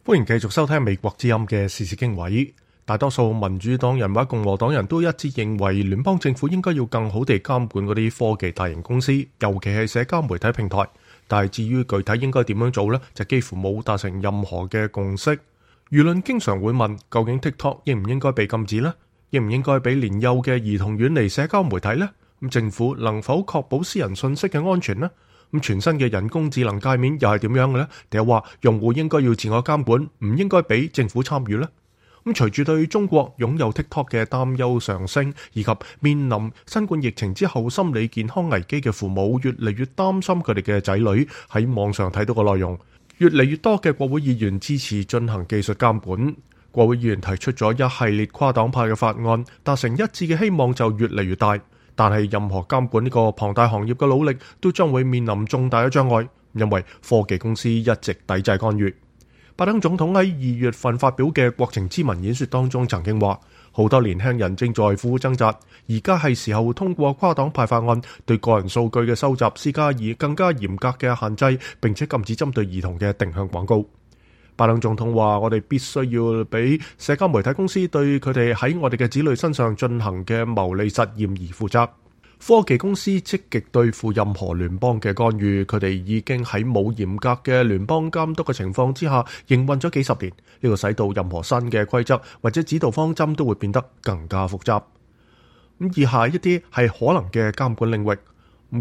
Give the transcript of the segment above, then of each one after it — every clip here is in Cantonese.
歡迎繼續收聽美國之音嘅時事經緯。大多數民主黨人或者共和黨人都一致認為聯邦政府應該要更好地監管嗰啲科技大型公司，尤其係社交媒體平台。但係至於具體應該點樣做呢，就幾乎冇達成任何嘅共識。輿論經常會問，究竟 TikTok 應唔應該被禁止呢？應唔應該俾年幼嘅兒童遠離社交媒體呢？咁政府能否確保私人信息嘅安全呢？咁全新嘅人工智能界面又係點樣嘅呢？定係話用戶應該要自我監管，唔應該俾政府參與呢？咁隨住對中國擁有 TikTok 嘅擔憂上升，以及面臨新冠疫情之後心理健康危機嘅父母越嚟越擔心佢哋嘅仔女喺網上睇到嘅內容，越嚟越多嘅國會議員支持進行技術監管。國會議員提出咗一系列跨黨派嘅法案，達成一致嘅希望就越嚟越大。但係任何監管呢個龐大行業嘅努力都將會面臨重大嘅障礙，因為科技公司一直抵制干預。拜登總統喺2月份發表嘅國情咨文演說當中曾經話，好多年輕人正在苦掙扎，而家係時候通過跨黨派法案對個人數據嘅收集施加以更加嚴格嘅限制，並且禁止針對兒童嘅定向廣告。拜登總統話，我哋必須要俾社交媒體公司對佢哋喺我哋嘅子女身上進行嘅牟利實驗而負責。科技公司積極對付任何聯邦嘅干預，佢哋已經喺冇嚴格嘅聯邦監督嘅情況之下營運咗幾十年，呢個使到任何新嘅規則或者指導方針都會變得更加複雜。以下一啲係可能嘅監管領域。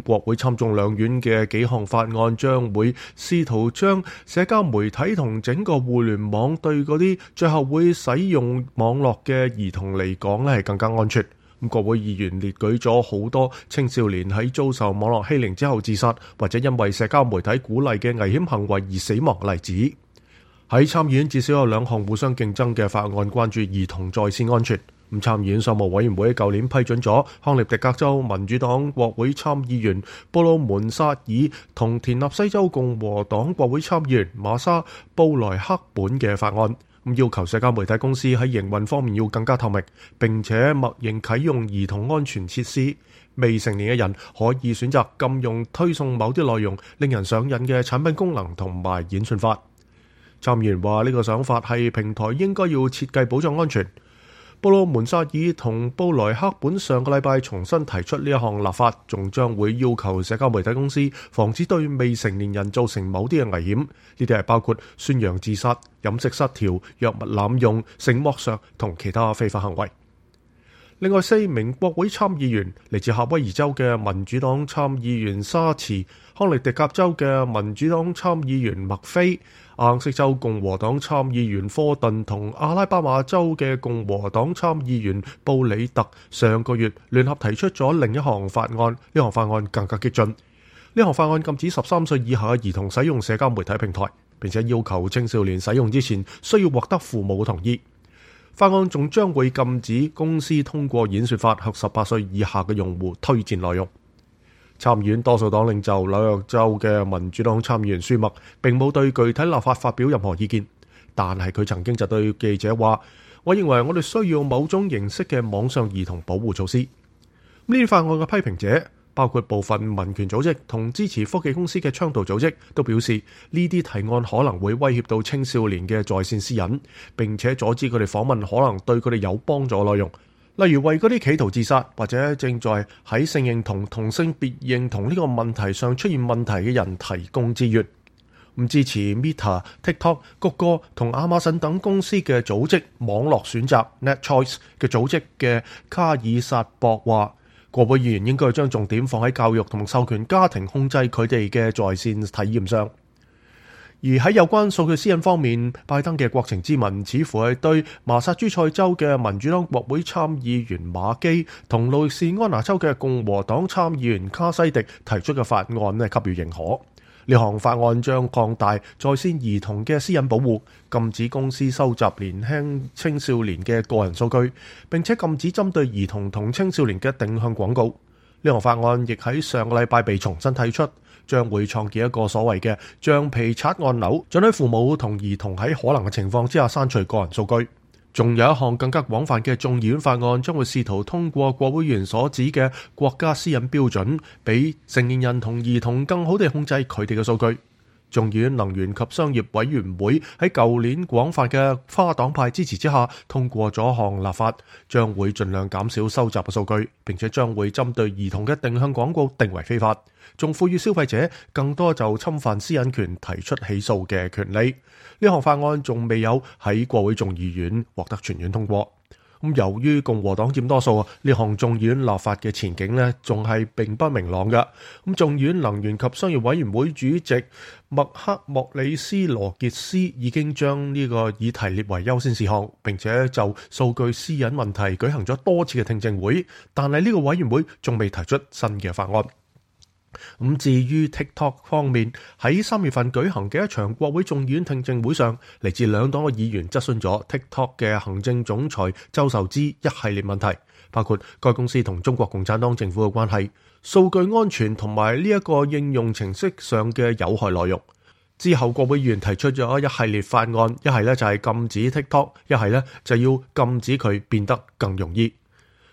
國會參眾兩院嘅幾項法案將會試圖將社交媒體同整個互聯網對嗰啲最後會使用網絡嘅兒童嚟講咧係更加安全。國會議員列舉咗好多青少年喺遭受網絡欺凌之後自殺，或者因為社交媒體鼓勵嘅危險行為而死亡嘅例子。喺參議院至少有2項互相競爭嘅法案關注兒童在線安全。參議院商務委員會舊年批准咗康涅狄格州民主黨國會參議員布魯門薩爾同田納西州共和黨國會參議員瑪莎布萊克本嘅法案，要求社交媒體公司喺營運方面要更加透明，並且默認啟用兒童安全設施。未成年嘅人可以選擇禁用推送某啲內容令人上癮嘅產品功能同埋演算法。參議員話呢個想法係平台應該要設計保障安全。布魯門薩爾同布萊克本上個禮拜重新提出呢一項立法，仲將會要求社交媒體公司防止對未成年人造成某啲嘅危險。呢啲係包括宣揚自殺、飲食失調、藥物濫用、性剝削同其他非法行為。另外4名國會參議員嚟自夏威夷州嘅民主黨參議員沙茨、康涅狄格州嘅民主黨參議員麥菲、亞瑟州共和黨參議員科頓同阿拉巴馬州嘅共和黨參議員布里特上個月聯合提出咗另一項法案，呢項法案更加激進。呢項法案禁止13歲以下嘅兒童使用社交媒體平台，並且要求青少年使用之前需要獲得父母嘅同意。法案仲將會禁止公司通過演算法向18歲以下嘅用戶推薦內容。參議院多數黨領袖紐約州嘅民主黨參議員舒默並冇對具體立法發表任何意見，但係佢曾經就對記者話，我認為我哋需要某種形式嘅網上兒童保護措施。呢啲法案嘅批評者包括部分民權組織同支持科技公司嘅倡導組織都表示，呢啲提案可能會威脅到青少年嘅在線私隱，並且阻止佢哋訪問可能對佢哋有幫助內容，例如為嗰啲企圖自殺或者正在喺性認同、同性別認同呢個問題上出現問題嘅人提供資源。支持 Meta、TikTok、谷歌同亞馬遜等公司嘅組織網絡選擇 NetChoice 嘅組織嘅卡爾薩博話，國會議員應該將重點放喺教育同授權家庭控制佢哋嘅在線體驗上。而喺有關數據私隱方面，拜登嘅國情咨文似乎係對麻薩諸塞州嘅民主黨國會參議員馬基同路易斯安那州嘅共和黨參議員卡西迪提出嘅法案給予認可。呢項法案將擴大在線兒童嘅私隱保護，禁止公司收集年輕青少年嘅個人數據，並且禁止針對兒童同青少年嘅定向廣告。呢項法案亦喺上個禮拜被重新提出，將會創建一個所謂嘅橡皮擦按鈕，准許父母同兒童喺可能嘅情況之下刪除個人數據。仲有一項更加廣泛嘅眾議院法案，將會試圖通過國會議員所指嘅國家私隱標準，俾成年人同兒童更好地控制佢哋嘅數據。眾議院能源及商業委員會喺舊年廣泛嘅跨黨派支持之下通過咗項立法，將會盡量減少收集嘅數據，並且將會針對兒童嘅定向廣告定為非法，仲賦予消費者更多就侵犯私隱權提出起訴嘅權利。呢項法案仲未有喺國會眾議院獲得全院通過。由於共和黨佔多數，呢項眾議院立法嘅前景呢仲係並不明朗嘅。眾議院能源及商業委員會主席麥克莫里斯羅傑斯已經將呢個議題列為優先事項，並且就數據私隱問題舉行咗多次嘅聽證會，但係呢個委員會仲未提出新嘅法案。至於 TikTok 方面，喺3月份舉行嘅一場國會眾議院聽證會上，嚟自兩黨嘅議員質詢咗 TikTok 嘅行政總裁周受資一系列問題，包括該公司同中國共產黨政府嘅關係、數據安全同埋呢一個應用程式上嘅有害內容。之後國會議員提出咗一系列法案，一係呢就係禁止 TikTok， 一係呢就要禁止佢變得更容易。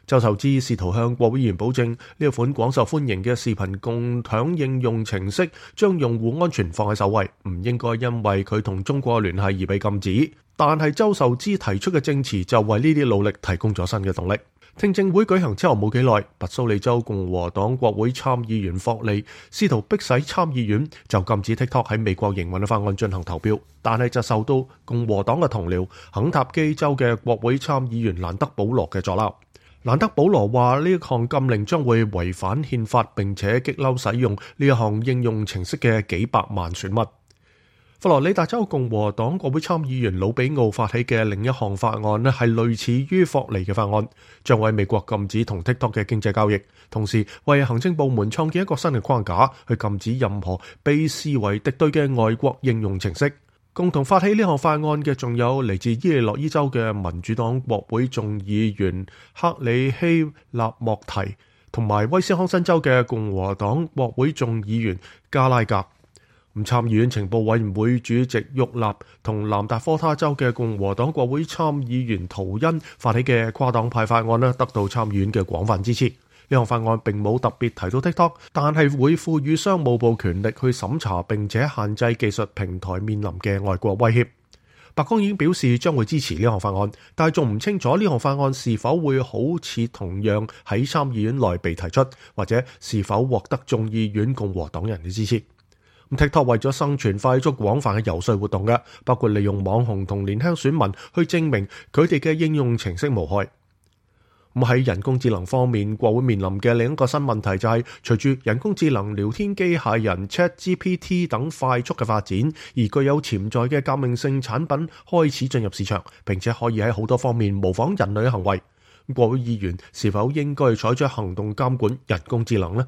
周受資試圖向國會議員保證，呢一款廣受歡迎嘅視頻共享應用程式將用戶安全放喺首位，唔應該因為佢同中國聯繫而被禁止。但係周受資提出嘅證詞就為呢啲努力提供咗新嘅動力。聽證會舉行之後冇幾耐，密蘇里州共和黨國會參議員霍利試圖迫使參議院就禁止 TikTok 喺美國營運嘅法案進行投票，但係就受到共和黨嘅同僚肯塔基州嘅國會參議員蘭德保羅嘅阻撓。蘭德保羅話呢一項禁令將會違反憲法，並且激嬲使用呢一項應用程式嘅幾百萬選民。佛羅里達州共和黨國會參議員魯比奧發起嘅另一項法案呢，係類似於霍利嘅法案，將為美國禁止同 TikTok 嘅經濟交易，同時為行政部門創建一個新嘅框架，去禁止任何被視為敵對嘅外國應用程式。共同發起呢項法案嘅仲有嚟自伊利諾伊州嘅民主黨國會眾議員克里希納莫提，同埋威斯康辛州嘅共和黨國會眾議員加拉格。參議院情報委員會主席沃納同南達科他州嘅共和黨國會參議員圖恩發起嘅跨黨派法案得到參議院嘅廣泛支持。呢項法案並冇特別提到 TikTok， 但係會賦予商務部權力去審查並且限制技術平台面臨嘅外國威脅。白宮已經表示將會支持呢項法案，但係仲唔清楚呢項法案是否會好似同樣喺參議院內被提出，或者是否獲得眾議院共和黨人嘅支持。TikTok 為咗生存，快速廣泛嘅遊說活動嘅，包括利用網紅同年輕選民去證明佢哋嘅應用程式無害。喺人工智能方面，國會面臨嘅另一個新問題就係，隨住人工智能聊天機械人 ChatGPT 等快速嘅發展，而具有潛在嘅革命性產品開始進入市場，並且可以喺好多方面模仿人類嘅行為。國會議員是否應該採取行動監管人工智能呢？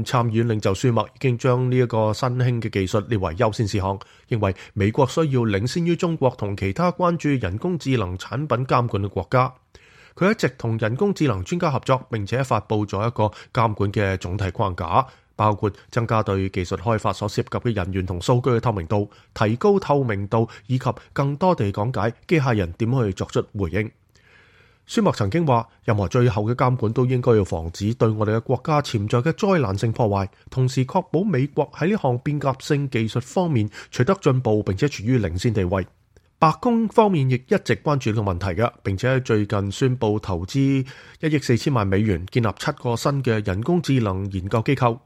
參議院領袖舒默已經將呢一個新興嘅技術列為優先事項，認為美國需要領先於中國同其他關注人工智能產品監管嘅國家。佢一直同人工智能專家合作，並且發佈咗一個監管嘅總體框架，包括增加對技術開發所涉及嘅人員同數據嘅透明度，提高透明度，以及更多地講解機械人點去作出回應。舒默曾經話，任何最後嘅監管都應該要防止對我哋嘅國家潛在嘅災難性破壞，同時確保美國喺呢項變革性技術方面取得進步，並且處於領先地位。白宮方面亦一直關注呢個問題嘅，並且最近宣布投資1億4千萬美元建立7個新嘅人工智能研究機構。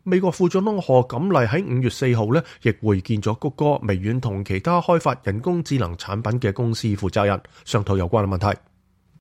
美國副總統賀錦麗喺5月4號亦會見咗谷歌、微軟同其他開發人工智能產品嘅公司負責人，商討有關嘅問題。